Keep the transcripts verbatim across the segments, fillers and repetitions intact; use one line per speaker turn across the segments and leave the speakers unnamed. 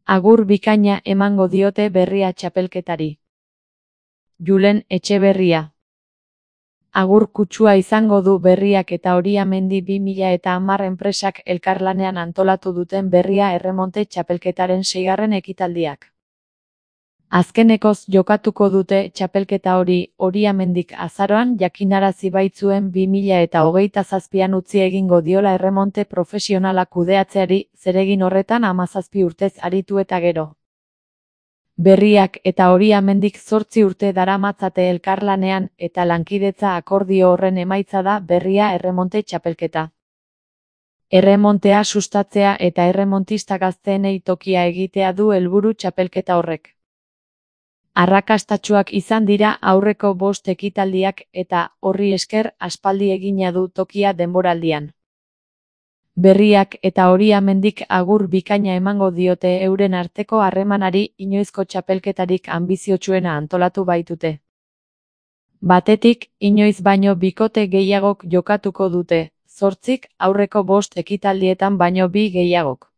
Agur bikaina emango diote Berria txapelketari. Julen Etxeberria. Agur kutsua izango du Berriak eta Oriamendi bi mila eta hamar enpresak elkarlanean antolatu duten Berria erremonte txapelketaren seigarren ekitaldiak. Azkenekoz jokatuko dute txapelketa hori Oriamendik azaroan jakinarazi baitzuen bi mila eta hogeita zazpian utzi egingo diola erremonte profesionala kudeatzeari, zeregin horretan hamazazpi urtez aritu eta gero. Berriak eta Oriamendik zortzi urte daramatzate elkarlanean eta lankidetza akordio horren emaitza da Berria erremonte txapelketa. Erremontea sustatzea eta erremontista gazteenei tokia egitea du helburu txapelketa horrek. Arrakastatsuak izan dira aurreko bost ekitaldiak eta, horri esker, aspaldi egina du tokia denboraldian. Berriak eta Oriamendik agur bikaina emango diote euren arteko harremanari inoizko txapelketarik anbiziotsuena antolatu baitute. Batetik, inoiz baino bikote gehiagok jokatuko dute, zortzik aurreko bost ekitaldietan baino bi gehiagok.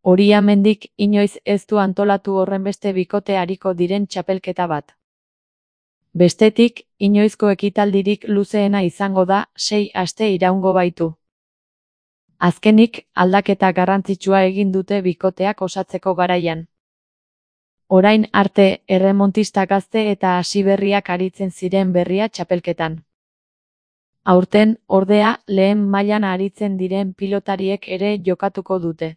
Oriamendik inoiz ez du antolatu horrenbeste bikote ariko diren txapelketa bat. Bestetik, inoizko ekitaldirik luzeena izango da, sei aste iraungo baitu. Azkenik, aldaketa garrantzitsua egin dute bikoteak osatzeko garaian. Orain arte, erremontista gazte eta hasiberriak aritzen ziren Berria txapelketan. Aurten, ordea, lehen mailan aritzen diren pilotariek ere jokatuko dute.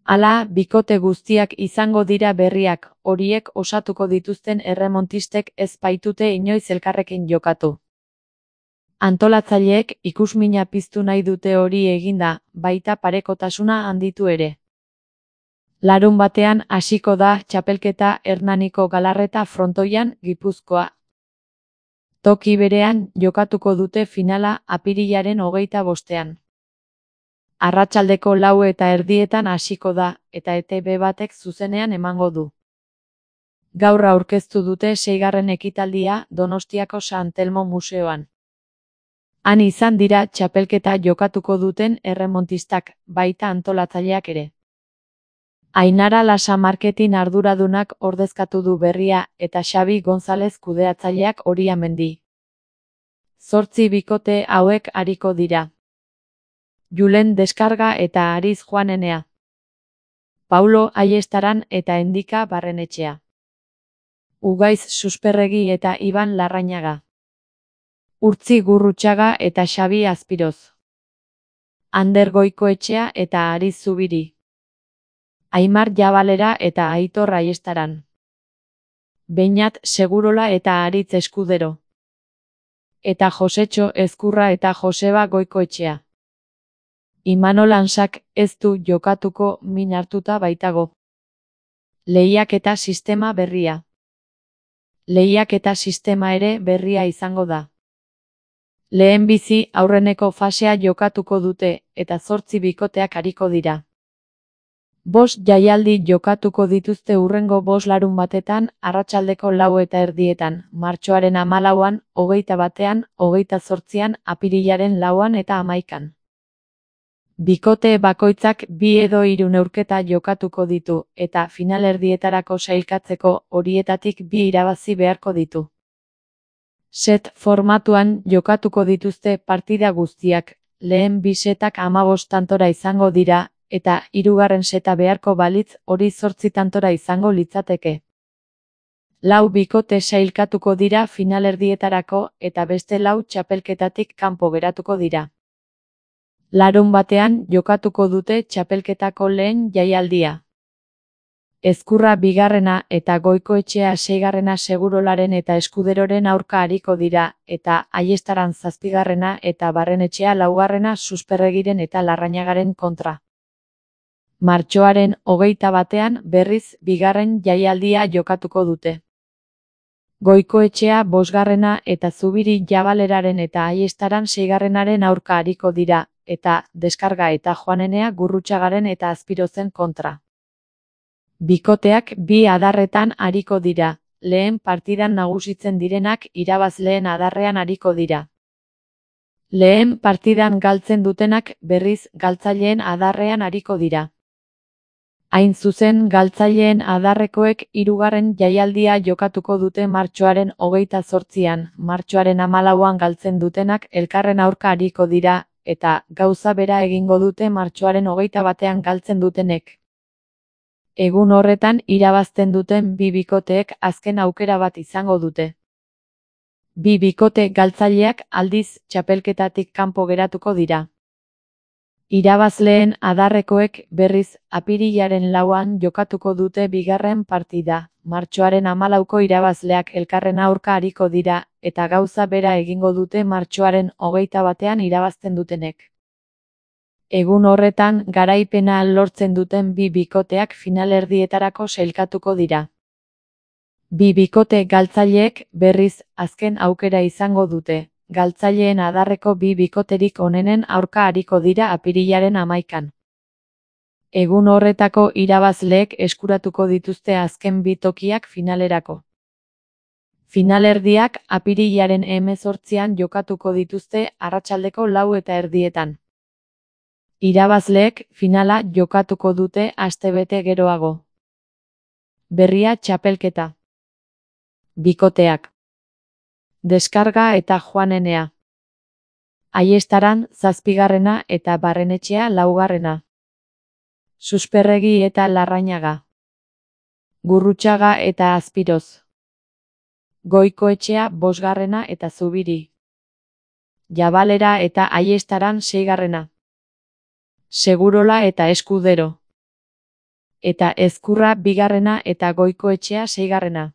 Hala, bikote guztiak izango dira Berriak, horiek osatuko dituzten erremontistek ez baitute inoiz elkarrekin jokatu. Antolatzaileek ikusmina piztu nahi dute hori eginda, baita parekotasuna handitu ere. Larun batean hasiko da txapelketa Hernaniko Galarreta frontoian, Gipuzkoa. Toki berean jokatuko dute finala apirilaren hogeita bostean. Arratsaldeko lau eta erdietan hasiko da, eta E T B batek zuzenean emango du. Gaur aurkeztu dute seigarren ekitaldia Donostiako San Telmo museoan. Han izan dira txapelketa jokatuko duten erremontistak, baita antolatzaileak ere. Ainara Lasa marketing arduradunak ordezkatu du Berria eta Xabi Gonzalez kudeatzaileak Oriamendi. Zortzi bikote hauek ariko dira. Julen Deskarga eta Ariz Juanenea. Paulo Aiestaran eta Endika Barrenetxea. Ugaiz Susperregi eta Iban Larrañaga. Urtzi Gurrutxaga eta Xabi Azpiroz. Ander Goikoetxea eta Ariz Zubiri. Aimar Jabalera eta Aitor Aiestaran. Beñat Segurola eta Aritz Eskudero. Eta Josetxo Ezkurra eta Joseba Goikoetxea. Imanol Ansak ez du jokatuko min hartuta baitago. Lehiaketa sistema berria. Lehiaketa sistema ere berria izango da. Lehenbizi aurreneko fasea jokatuko dute, eta zortzi bikoteak ariko dira. Bost jaialdi jokatuko dituzte hurrengo bost larun batetan, arratsaldeko lau eta erdietan, martxoaren hamalauan, hogeita batean, hogeita zortzian, apirilaren lauan eta hamaikan. Bikote bakoitzak bi edo hiru neurketa jokatuko ditu, eta finalerdietarako sailkatzeko horietatik bi irabazi beharko ditu. Set formatuan jokatuko dituzte partida guztiak, lehen bi setak hamabost tantora izango dira, eta hirugarren seta beharko balitz hori zortzi tantora izango litzateke. Lau bikote sailkatuko dira finalerdietarako eta beste lau txapelketatik kanpo geratuko dira. Larun batean jokatuko dute txapelketako lehen jaialdia. Ezkurra bigarrena eta Goikoetxea seigarrena Segurolaren eta Eskuderoren aurka ariko dira, eta Aiestaran zazpigarrena eta Barrenetxea laugarrena Susperregiren eta Larrañagaren kontra. Martxoaren hogeita batean berriz bigarren jaialdia jokatuko dute. Goikoetxea bosgarrena eta Zubiri Jabaleraren eta Aiestaran seigarrenaren aurka ariko dira, eta Deskarga eta Juanenea Gurrutxagaren eta Azpirozen kontra. Bikoteak bi adarretan ariko dira, lehen partidan nagusitzen direnak irabazleen adarrean ariko dira. Lehen partidan galtzen dutenak berriz galtzaileen adarrean ariko dira. Hain zuzen, galtzaileen adarrekoek hirugarren jaialdia jokatuko dute martxoaren hogeita zortzian, martxoaren hamalauan galtzen dutenak elkarren aurka ariko dira, eta gauza bera egingo dute martxoaren hogeita batean galtzen dutenek. Egun horretan irabazten duten bi bikoteek azken aukera bat izango dute. Bi bikote galtzaileak aldiz txapelketatik kanpo geratuko dira. Irabazleen adarrekoek berriz apirilaren lauan jokatuko dute bigarren partida. Martxoaren hamalauko irabazleak elkarren aurka ariko dira, eta gauza bera egingo dute martxoaren hogeita batean irabazten dutenek. Egun horretan garaipena lortzen duten bi bikoteak finalerdietarako sailkatuko dira. Bi bikote galtzaileek berriz azken aukera izango dute. Galtzaileen adarreko bi bikoterik onenen aurka ariko dira apirilaren hamaikan. Egun horretako irabazleek eskuratuko dituzte azken bi tokiak finalerako. Finalerdiak apirilaren hemezortzian jokatuko dituzte arratsaldeko lau eta erdietan. Irabazleek finala jokatuko dute astebete geroago. Berria txapelketa. Bikoteak. Deskarga eta Joanenea. Aiestaran zazpigarrena eta Barrenetxea laugarrena. Susperregi eta Larrañaga. Gurrutxaga eta Azpiroz. Goikoetxea bosgarrena eta Zubiri. Jabalera eta Aiestaran seigarrena. Segurola eta Eskudero. Eta Ezkurra bigarrena eta Goikoetxea seigarrena.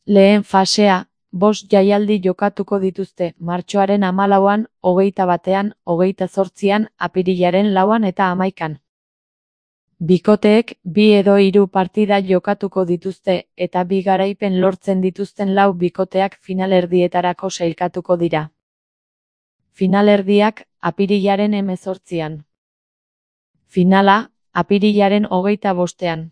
Lehen fasea, bost jaialdi jokatuko dituzte, martxoaren hamalauan, hogeita batean, hogeita zortzian, apirilaren lauan eta hamaikan. Bikoteek bi edo hiru partida jokatuko dituzte, eta bi garaipen lortzen dituzten lau bikoteak finalerdietarako sailkatuko dira. Finalerdiak apirilaren hemezortzian. Finala, apirilaren hogeita bostean.